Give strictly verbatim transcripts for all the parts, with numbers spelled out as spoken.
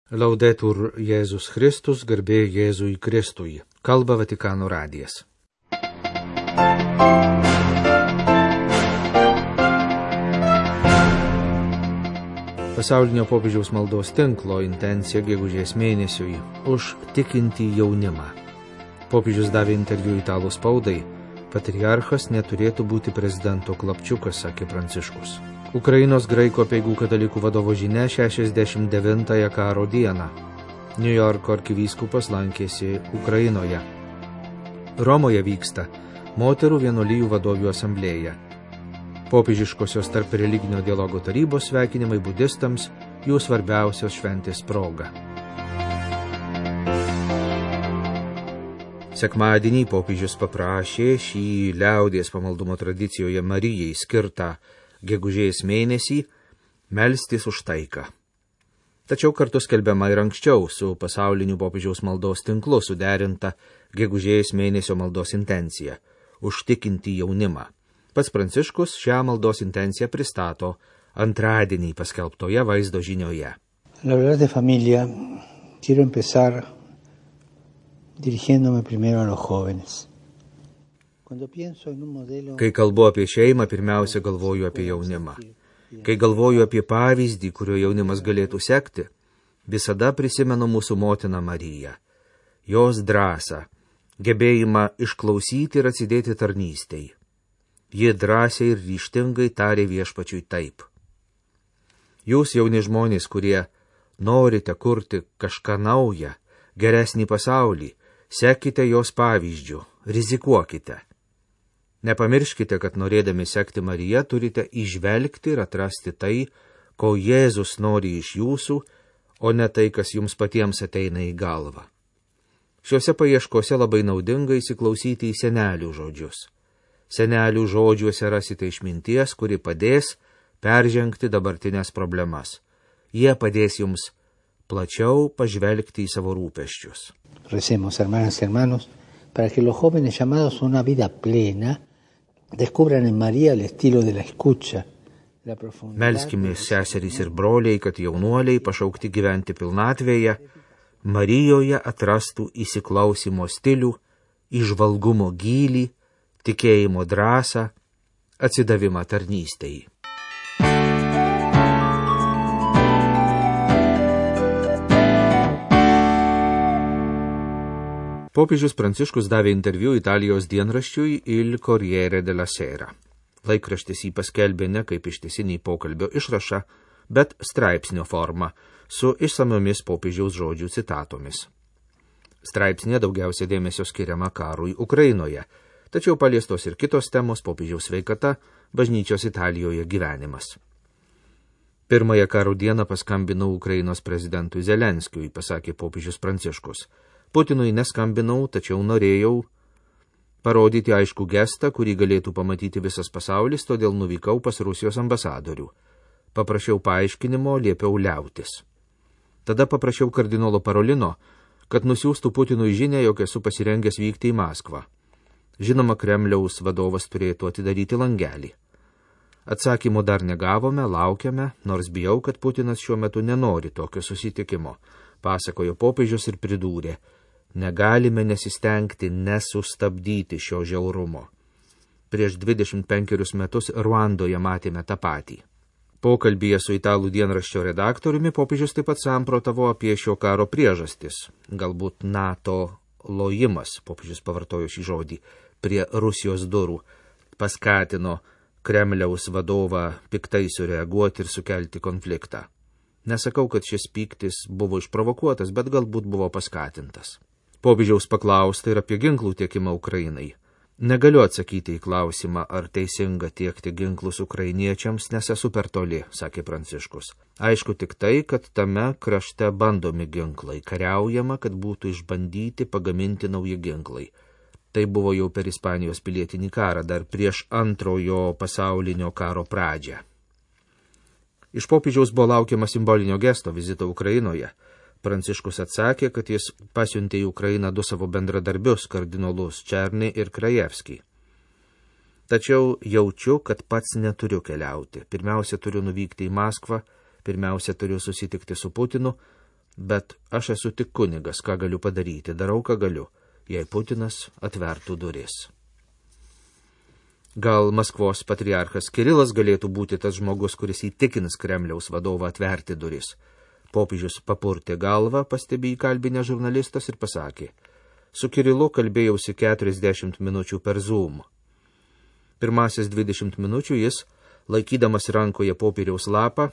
Laudetur Jėzus Kristus, garbė Jėzui Kristui. Kalba Vatikano radijas. Pasaulinio popiežiaus maldos tinklo intencija gegužės mėnesiui už tikintį jaunimą. Popiežius davė interviu italų spaudai. Patriarchas neturėtų būti prezidento klapčiukas, sakė Pranciškus. Ukrainos graikų apeigų katalikų vadovo žinia šešiasdešimt devintąją karo dieną. Niujorko arkivyskupas lankėsi Ukrainoje. Romoje vyksta moterų vienuolijų vadovių asamblėja. Popiežiškosios tarp religinio dialogo tarybos sveikinimai budistams jų svarbiausios šventės proga. Sekmadienį popiežius paprašė šį liaudies pamaldumo tradicijoje Marijai skirtą gegužės mėnesį melstis už taiką. Tačiau kartu skelbiama ir anksčiau su pasauliniu popiežiaus maldos tinklu suderinta gegužės mėnesio maldos intencija – užtikinti jaunimą. Pats Pranciškus šią maldos intenciją pristato antradienį paskelbtoje vaizdo žinioje. Hablar de familia, quiero empezar dirigiéndome primero a los jóvenes. Kai kalbu apie šeimą, pirmiausia galvoju apie jaunimą. Kai galvoju apie pavyzdį, kurio jaunimas galėtų sekti, visada prisimenu mūsų motiną Mariją. Jos drąsą, gebėjimą išklausyti ir atsidėti tarnystei. Ji drąsiai ir ryžtingai tarė viešpačiui taip. Jūs, jauni žmonės, kurie norite kurti kažką naują, geresnį pasaulį, sekite jos pavyzdžių, rizikuokite. Nepamirškite, kad norėdami sekti Mariją turite įžvelgti ir atrasti tai, ko Jėzus nori iš jūsų, o ne tai, kas jums patiems ateina į galvą. Šiuose paieškose labai naudinga įsiklausyti į senelių žodžius. Senelių žodžiuose rasite išminties, kuri padės peržengti dabartinės problemas. Jie padės jums plačiau pažvelgti į savo rūpesčius. Recemos, hermanas y hermanos, para que los jóvenes llamados a una vida plena descubran en María el estilo de la escucha. Melskimės seserys ir broliai, kad jaunuoliai pašaukti gyventi pilnatvėje, Marijoje atrastų įsiklausimo stilių, įžvalgumo gylį, tikėjimo drąsą, atsidavimą tarnystei. Popiežius Pranciškus davė interviu Italijos dienraščiui Il Corriere della Sera. Laikraštis jį paskelbė ne kaip ištisinį pokalbio išrašą, bet straipsnio formą su išsamiomis popiežiaus žodžių citatomis. Straipsnė daugiausia dėmesio skiriama karui Ukrainoje, tačiau paliestos ir kitos temos: popiežiaus sveikata, bažnyčios Italijoje gyvenimas. Pirmąją karo dieną paskambinau Ukrainos prezidentui Zelenskiui, pasakė popiežius Pranciškus. Putinui neskambinau, tačiau norėjau parodyti aiškų gestą, kurį galėtų pamatyti visas pasaulis, todėl nuvykau pas Rusijos ambasadorių. Paprašiau paaiškinimo, liepiau liautis. Tada paprašiau kardinolo Parolino, kad nusiųstų Putinui žinią, jog esu pasirengęs vykti į Maskvą. Žinoma, Kremliaus vadovas turėtų atidaryti langelį. Atsakymo dar negavome, laukiame, nors bijau, kad Putinas šiuo metu nenori tokio susitikimo, pasakojo popiežius ir pridūrė: negalime nesistengti nesustabdyti šio žiaurumo. Prieš dvidešimt penkerius metus Ruandoje matėme tą patį. Pokalbyje su italų dienraščio redaktoriumi popiežius taip pat samprotavo apie šio karo priežastis. Galbūt NATO lojimas, popiežius pavartojo šį žodį, prie Rusijos durų paskatino Kremliaus vadovą piktai sureaguoti ir sukelti konfliktą. Nesakau, kad šis pyktis buvo išprovokuotas, bet galbūt buvo paskatintas. Popiežiaus paklausta ir apie ginklų tiekimą Ukrainai. Negaliu atsakyti į klausimą, ar teisinga tiekti ginklus ukrainiečiams, nes esu per toli, sakė Pranciškus. Aišku tik tai, kad tame krašte bandomi ginklai, kariaujama, kad būtų išbandyti pagaminti nauji ginklai. Tai buvo jau per Ispanijos pilietinį karą, dar prieš antrojo pasaulinio karo pradžią. Iš popiežiaus buvo laukiama simbolinio gesto vizito Ukrainoje. Pranciškus atsakė, kad jis pasiuntė į Ukrainą du savo bendradarbius, kardinolus Černį ir Krajevskį. Tačiau jaučiu, kad pats neturiu keliauti. Pirmiausia, turiu nuvykti į Maskvą, pirmiausia, turiu susitikti su Putinu, bet aš esu tik kunigas, ką galiu padaryti, darau, ką galiu, jei Putinas atvertų duris. Gal Maskvos patriarchas Kirilas galėtų būti tas žmogus, kuris įtikins Kremliaus vadovą atverti duris. Popiežius papurtė galvą, pastebė įkalbinę žurnalistas ir pasakė: su Kirilu kalbėjausi keturiasdešimt minučių per Zoom. Pirmasis dvidešimt minučių jis, laikydamas rankoje popieriaus lapą,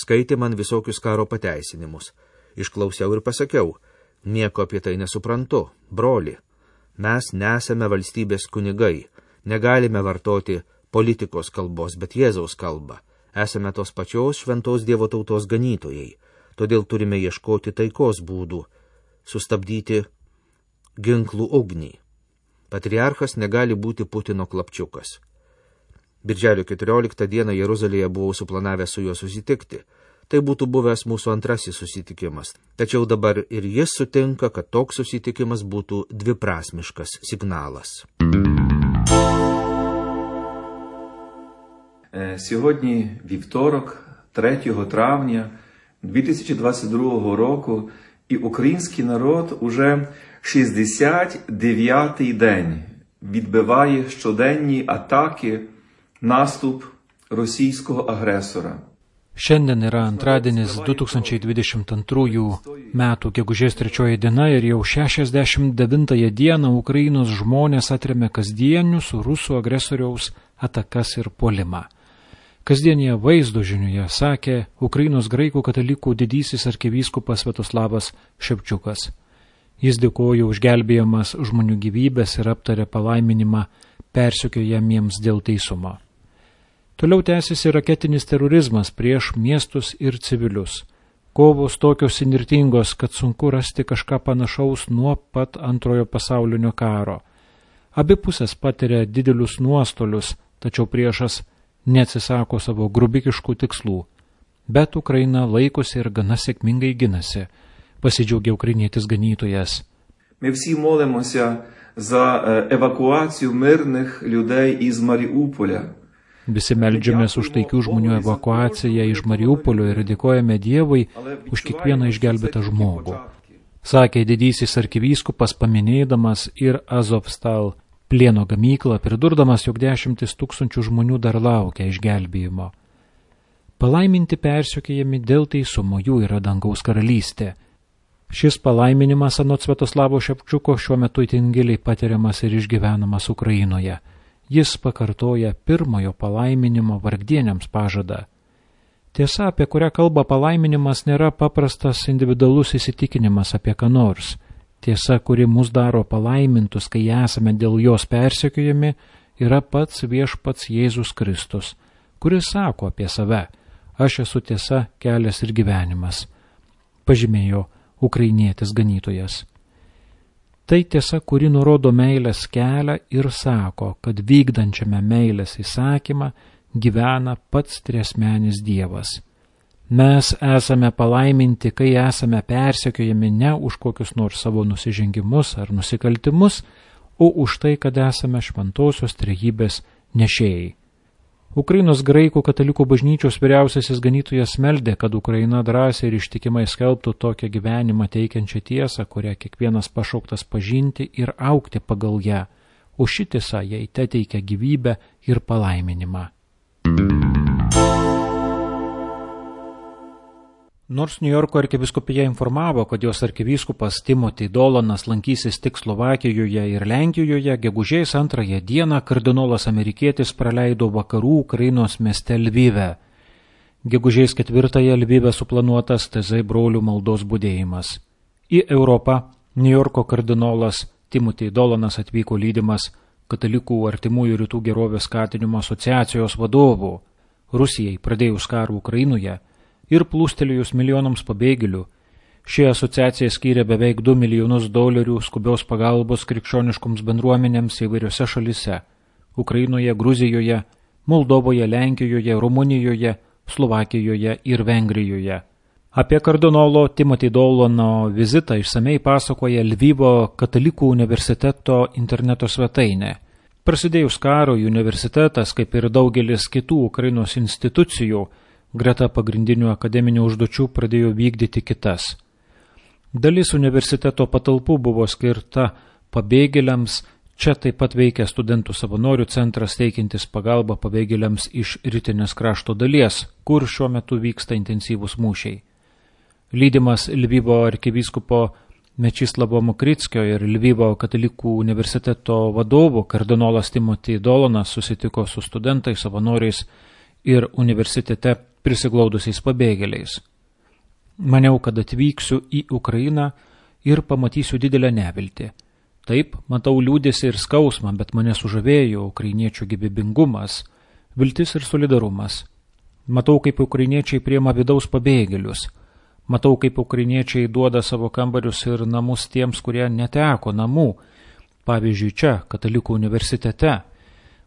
skaitė man visokius karo pateisinimus. Išklausiau ir pasakiau: nieko apie tai nesuprantu, broli. Mes nesame valstybės kunigai, negalime vartoti politikos kalbos, bet Jėzaus kalbą. Esame tos pačios šventos Dievo tautos ganytojai, todėl turime ieškoti taikos būdų, sustabdyti ginklų ugnį. Patriarchas negali būti Putino klapčiukas. Birželio keturioliktą dieną Jeruzalėje buvau suplanavęs su juo susitikti. Tai būtų buvęs mūsų antrasis susitikimas. Tačiau dabar ir jis sutinka, kad toks susitikimas būtų dviprasmiškas signalas. Сьогодні вівторок, третього травня дві тисячі двадцять другого року, і український народ уже шістдесят дев'ятий день відбиває щоденні атаки, наступ rosійського агресора. Šiandien yra antradienis du tūkstančiai dvidešimt antrųjų metų gegužės trečioji diena ir jau šešiasdešimt devintąją dieną Ukrainos žmonės atremia kasdienius rusų agresoriaus atakas ir puolimą. Kasdienėje vaizdo žinioje sakė Ukrainos graikų katalikų didysis arkivyskupas Sviatoslavas Ševčiukas. Jis dėkojo už gelbėjamas žmonių gyvybės ir aptarė palaiminimą persekiojamiems dėl teisumo. Toliau tęsiasi raketinis terorizmas prieš miestus ir civilius. Kovos tokios įnirtingos, kad sunku rasti kažką panašaus nuo pat antrojo pasaulinio karo. Abi pusės patiria didelius nuostolius, tačiau priešas neatsisako savo grubikiškų tikslų. Bet Ukraina laikosi ir gana sėkmingai ginasi, pasidžiaugė ukrainietis ganytojas. Ми всі молимося за евакуацію мирних людей із Маріуполя. Visi meldžiamės už taikių žmonių evakuaciją iš Mariupolio ir dėkojame Dievui už kiekvieną išgelbėtą žmogų, sakė didysis arkivyskupas, paminėdamas ir Azovstal plieno gamyklą, pridurdamas, jog dešimtis tūkstančių žmonių dar laukia išgelbėjimo. Palaiminti persekiojami dėl teisumo, jų yra dangaus karalystė. Šis palaiminimas anot Sviatoslavo Ševčiuko šiuo metu itin giliai patiriamas ir išgyvenamas Ukrainoje. Jis pakartoja pirmojo palaiminimo vargdieniams pažadą. Tiesa, apie kurią kalba palaiminimas, nėra paprastas individualus įsitikinimas apie ką nors. Tiesa, kuri mus daro palaimintus, kai esame dėl jos persekiojami, yra pats viešpats Jėzus Kristus, kuris sako apie save: aš esu tiesa, kelias ir gyvenimas, pažymėjo ukrainietis ganytojas. Tai tiesa, kuri nurodo meilės kelią ir sako, kad vykdančiame meilės įsakymą gyvena pats triasmenis Dievas. Mes esame palaiminti, kai esame persekiojami ne už kokius nors savo nusižengimus ar nusikaltimus, o už tai, kad esame šventosios trejybės nešėjai. Ukrainos graikų katalikų bažnyčios vyriausiasis ganytojas meldė, kad Ukraina drąsiai ir ištikimai skelbtų tokią gyvenimą teikiančią tiesą, kurią kiekvienas pašauktas pažinti ir augti pagal ją, o ši tiesa jai teteikia gyvybę ir palaiminimą. Nors Niujorko arkivyskupija informavo, kad jos arkivyskupas Timothy Dolanas lankysis tik Slovakijoje ir Lenkijoje, gegužės antrąją dieną kardinolas amerikietis praleido vakarų Ukrainos mieste Lvive. Gegužės ketvirtąją Lvive suplanuotas T Z brolių maldos budėjimas. Į Europą Niujorko kardinolas Timothy Dolanas atvyko lydimas katalikų artimųjų rytų gerovės skatinimo asociacijos vadovų. Rusijai pradėjus karą Ukrainoje ir plūstelėjus milijonams pabėgėlių, ši asociacija skyrė beveik du milijonus dolerių skubios pagalbos krikščioniškoms bendruomenėms įvairiose šalise – Ukrainoje, Gruzijoje, Moldovoje, Lenkijoje, Rumunijoje, Slovakijoje ir Vengrijoje. Apie kardinolo Timothy Dolano vizitą išsamei pasakoja Lvivo katalikų universiteto interneto svetainė. Prasidėjus karui universitetas, kaip ir daugelis kitų Ukrainos institucijų, greta pagrindinių akademinių užduočių pradėjo vykdyti kitas. Dalis universiteto patalpų buvo skirta pabėgėliams, čia taip pat veikia studentų savanorių centras teikiantis pagalbą pabėgėliams iš rytinės krašto dalies, kur šiuo metu vyksta intensyvūs mūšiai. Lydimas Lvivo arkivyskupo Mečislavo Mokrickio ir Lvivo katalikų universiteto vadovų kardinolas Timothy Dolanas susitiko su studentais, savanoriais ir universitete prisiglaudusiais pabėgėliais. Maniau, kad atvyksiu į Ukrainą ir pamatysiu didelę neviltį. Taip, matau liūdėsį ir skausmą, bet mane sužavėjo ukrainiečių gyvybingumas, viltis ir solidarumas. Matau, kaip ukrainiečiai priima vidaus pabėgėlius. Matau, kaip ukrainiečiai duoda savo kambarius ir namus tiems, kurie neteko namų, pavyzdžiui, čia, katalikų universitete.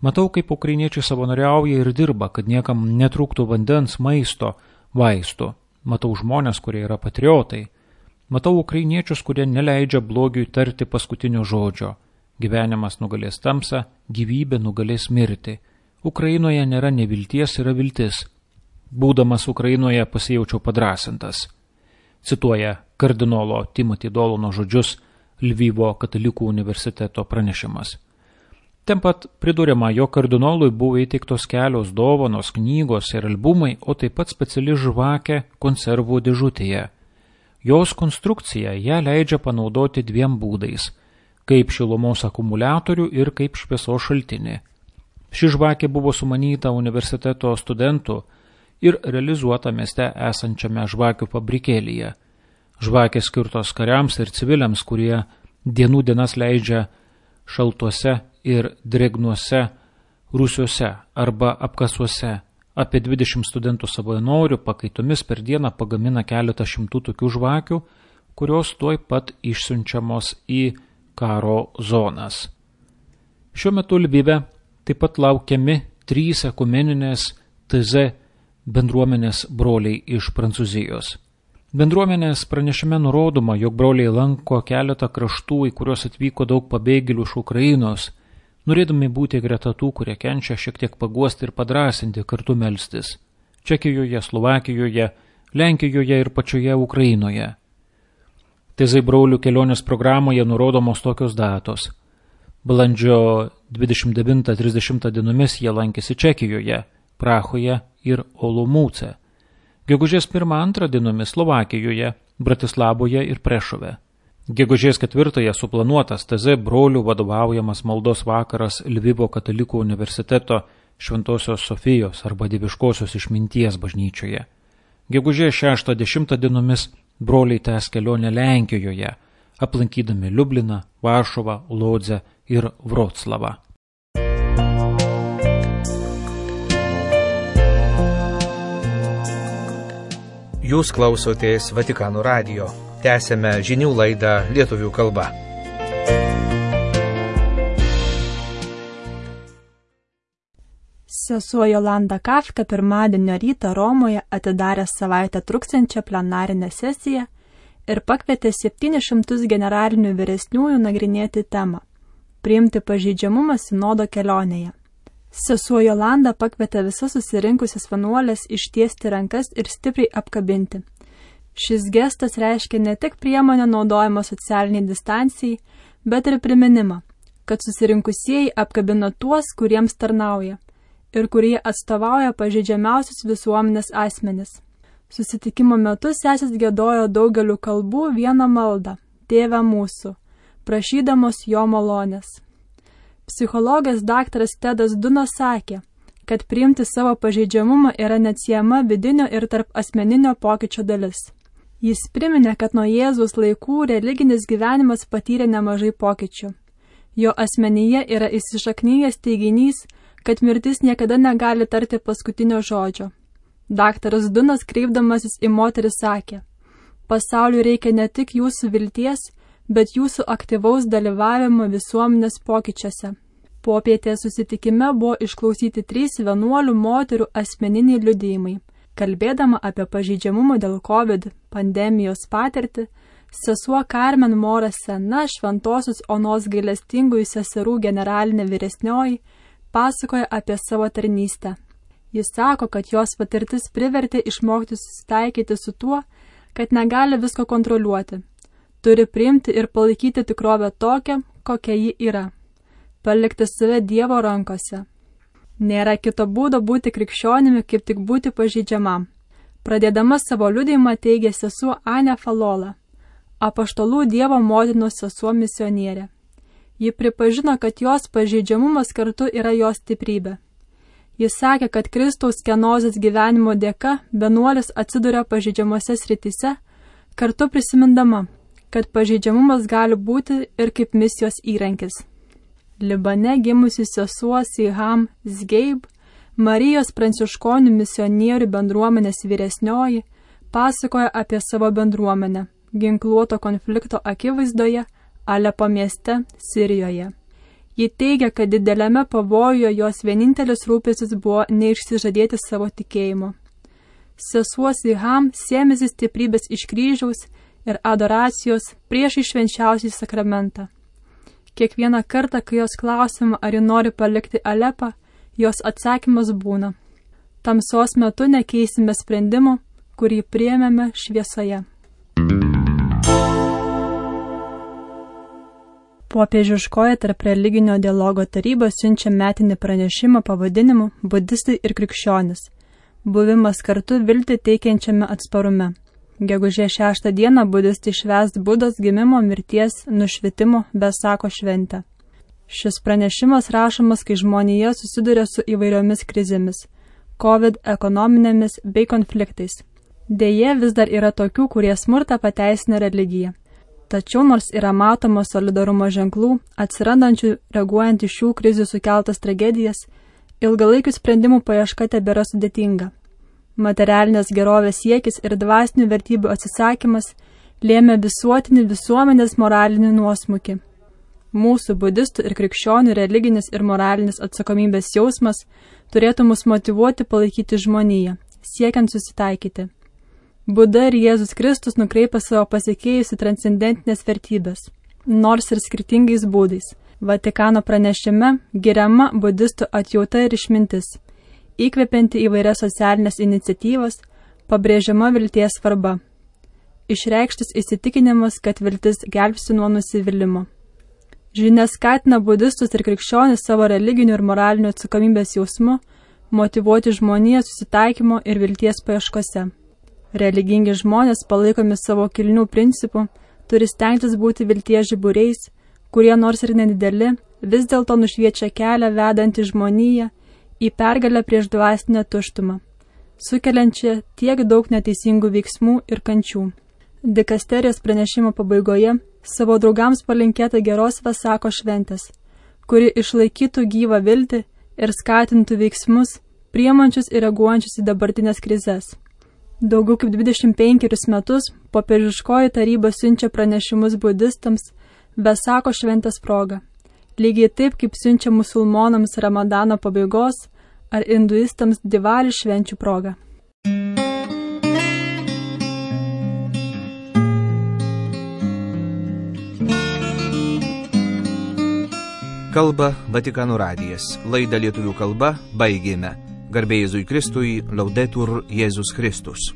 Matau, kaip ukrainiečiai savanoriauja ir dirba, kad niekam netrūktų vandens, maisto, vaistų. Matau žmonės, kurie yra patriotai. Matau ukrainiečius, kurie neleidžia blogiui tarti paskutinio žodžio. Gyvenimas nugalės tamsą, gyvybė nugalės mirtį. Ukrainoje nėra nevilties, yra viltis. Būdamas Ukrainoje pasijaučiau padrasintas. Cituoja kardinolo Timothy Dolano žodžius Lvivo katalikų universiteto pranešimas. Ten pat priduriama, jo kardinolui buvo įteiktos kelios dovanos, knygos ir albumai, o taip pat speciali žvakė konservų dėžutėje. Jos konstrukcija ją leidžia panaudoti dviem būdais – kaip šilumos akumuliatorių ir kaip šviesos šaltinį. Ši žvakė buvo sumanyta universiteto studentų ir realizuota mieste esančiame žvakių fabrikėlyje. Žvakės skirtos kariams ir civiliams, kurie dienų dienas leidžia šaltuose ir drėgnuose rūsiuose arba apkasuose. Apie dvidešimt studentų savanorių pakaitomis per dieną pagamina keletą šimtų tokių žvakių, kurios tuoj pat išsiunčiamos į karo zonas. Šiuo metu Lvive taip pat laukiami trys ekumeninės T Z bendruomenės broliai iš Prancūzijos. Bendruomenės pranešime nurodoma, jog broliai lanko keletą kraštų, į kuriuos atvyko daug pabėgėlių iš Ukrainos, norėdami būti greta tų, kurie kenčia, šiek tiek paguosti ir padrasinti, kartu melstis. Čekijoje, Slovakijoje, Lenkijoje ir pačioje Ukrainoje. T Z brolių kelionės programoje nurodomos tokios datos. Balandžio dvidešimt devintą trisdešimtą dienomis jie lankėsi Čekijoje, Prahoje ir Olomouce. Gegužės pirmą antrą dienomis Slovakijoje, Bratislavoje ir Prešove. Gegužės ketvirtąją suplanuotas T Z brolių vadovaujamas maldos vakaras Lvivo katalikų universiteto Šventosios Sofijos arba Dieviškosios išminties bažnyčioje. Gegužės šeštą dešimtą dienomis broliai tęs kelionę Lenkijoje, aplankydami Liubliną, Varšuvą, Lodzę ir Vroclavą. Jūs klausotės Vatikano radijo. Tęsėme žinių laidą lietuvių kalba. Sesuo Jolanda Kafka pirmadienio rytą Romoje atidarė savaitę truksiančią plenarinę sesiją ir pakvietė septynis šimtus generalinių vyresniųjų nagrinėti temą – priimti pažeidžiamumą sinodo kelionėje. Sesuo Jolanda pakvietė visas susirinkusias vienuolės ištiesti rankas ir stipriai apkabinti. Šis gestas reiškia ne tik priemonę naudojimą socialiniai distancijai, bet ir priminimą, kad susirinkusieji apkabino tuos, kuriems tarnauja ir kurie atstovauja pažeidžiamiausius visuomenės asmenis. Susitikimo metu sesės giedojo daugeliu kalbų vieną maldą – Tėve mūsų, prašydamos jo malonės. Psichologas daktaras Tedas Dunas sakė, kad priimti savo pažeidžiamumą yra neatsiejama vidinio ir tarp asmeninio pokyčio dalis. Jis priminė, kad nuo Jėzaus laikų religinis gyvenimas patyrė nemažai pokyčių. Jo asmenyje yra įsišaknyjęs teiginys, kad mirtis niekada negali tarti paskutinio žodžio. Daktaras Dunas, kreipdamasis į moterį, sakė, pasauliui reikia ne tik jūsų vilties, bet jūsų aktyvaus dalyvavimo visuomenės pokyčiuose. Popietės susitikime buvo išklausyti trys vienuolių moterų asmeniniai liudijimai. Kalbėdama apie pažeidžiamumą dėl COVID pandemijos patirtį, sesuo Carmen Mora Sena, Šventosios Onos gailestingųjų seserų generalinė vyresnioji, pasakoja apie savo tarnystę. Jis sako, kad jos patirtis privertė išmokti susitaikyti su tuo, kad negali visko kontroliuoti. Turi priimti ir palaikyti tikrovę tokią, kokia ji yra. Palikti save Dievo rankose. Nėra kito būdo būti krikščionimi, kaip tik būti pažeidžiamam. Pradėdama savo liudijimą teigė sesuo Anė Falola, apaštalų Dievo motinos sesuo misionierė. Ji pripažino, kad jos pažeidžiamumas kartu yra jos stiprybė. Jis sakė, kad Kristaus kenozės gyvenimo dėka vienuolis atsiduria pažeidžiamose srityse, kartu prisimindama, kad pažeidžiamumas gali būti ir kaip misijos įrankis. Libane gimusi sesuo Siham Zgeib, Marijos pranciškonių misionierių bendruomenės vyresnioji, pasakoja apie savo bendruomenę ginkluoto konflikto akivaizdoje Alepo mieste Sirijoje. Ji teigia, kad dideliame pavojuje jos vienintelis rūpestis buvo neišsižadėti savo tikėjimo. Sesuo Siham sėmėsi stiprybės iš kryžiaus ir adoracijos prieš švenčiausią sakramentą. Kiekvieną kartą, kai jos klausima, ar ji nori palikti Alepą, jos atsakymas būna: tamsos metu nekeisime sprendimo, kurį priėmėme šviesoje. Popiežiškoji tarp religinio dialogo taryba siunčia metinį pranešimą pavadinimu Budistai ir krikščionis. Buvimas kartu viltį teikiančiame atsparume. Gegužės šeštą dieną budistai švęs Budos gimimo, mirties, nušvitimo Vesako šventę. Šis pranešimas rašomas, kai žmonija susiduria su įvairiomis krizėmis – COVID, ekonominėmis bei konfliktais. Deja, vis dar yra tokių, kurie smurtą pateisina religiją. Tačiau nors yra matoma solidarumo ženklų, atsirandančių reaguojant į šių krizių sukeltas tragedijas, ilgalaikių sprendimų paieška tebėra sudėtinga. Materialinės gerovės siekis ir dvasinių vertybių atsisakymas lėmė visuotinį visuomenės moralinį nuosmukį. Mūsų budistų ir krikščionių religinis ir moralinis atsakomybės jausmas turėtų mus motyvuoti palaikyti žmoniją, siekiant susitaikyti. Buda ir Jėzus Kristus nukreipia savo pasekėjus į transcendentinės vertybės, nors ir skirtingais būdais. Vatikano pranešime giriama budistų atjauta ir išmintis, įkvepianti įvairias socialinės iniciatyvas, pabrėžiama vilties svarba. Išreikštas įsitikinimas, kad viltis gelbsti nuo nusivylimo. Žinia skatina budistus ir krikščionis savo religinių ir moralinių atsakomybės jausmu motyvuoti žmoniją susitaikymo ir vilties paieškose. Religingi žmonės, palaikomi savo kilnių principų, turi stengtis būti vilties žiburiais, kurie nors ir nedideli, vis dėlto nušviečia kelią vedantį žmoniją į pergalę prieš dvasinę tuštumą, sukeliančią tiek daug neteisingų veiksmų ir kančių. Dikasterijos pranešimo pabaigoje savo draugams palinkėta geros Vesako šventės, kuri išlaikytų gyvą viltį ir skatintų veiksmus, priemančius ir reaguojančius į dabartinės krizes. Daugiau kaip dvidešimt penkerius metus popiežiškoji taryba siunčia pranešimus budistams Vesako šventės proga, lygiai taip kaip siunčia musulmonams Ramadano pabaigos ar hinduistams Diwali švenčių proga. Kalba Vatikano radijas. Laidą lietuvių kalba baigėme. Garbė Jėzui Kristui, Laudetur Jėzus Kristus.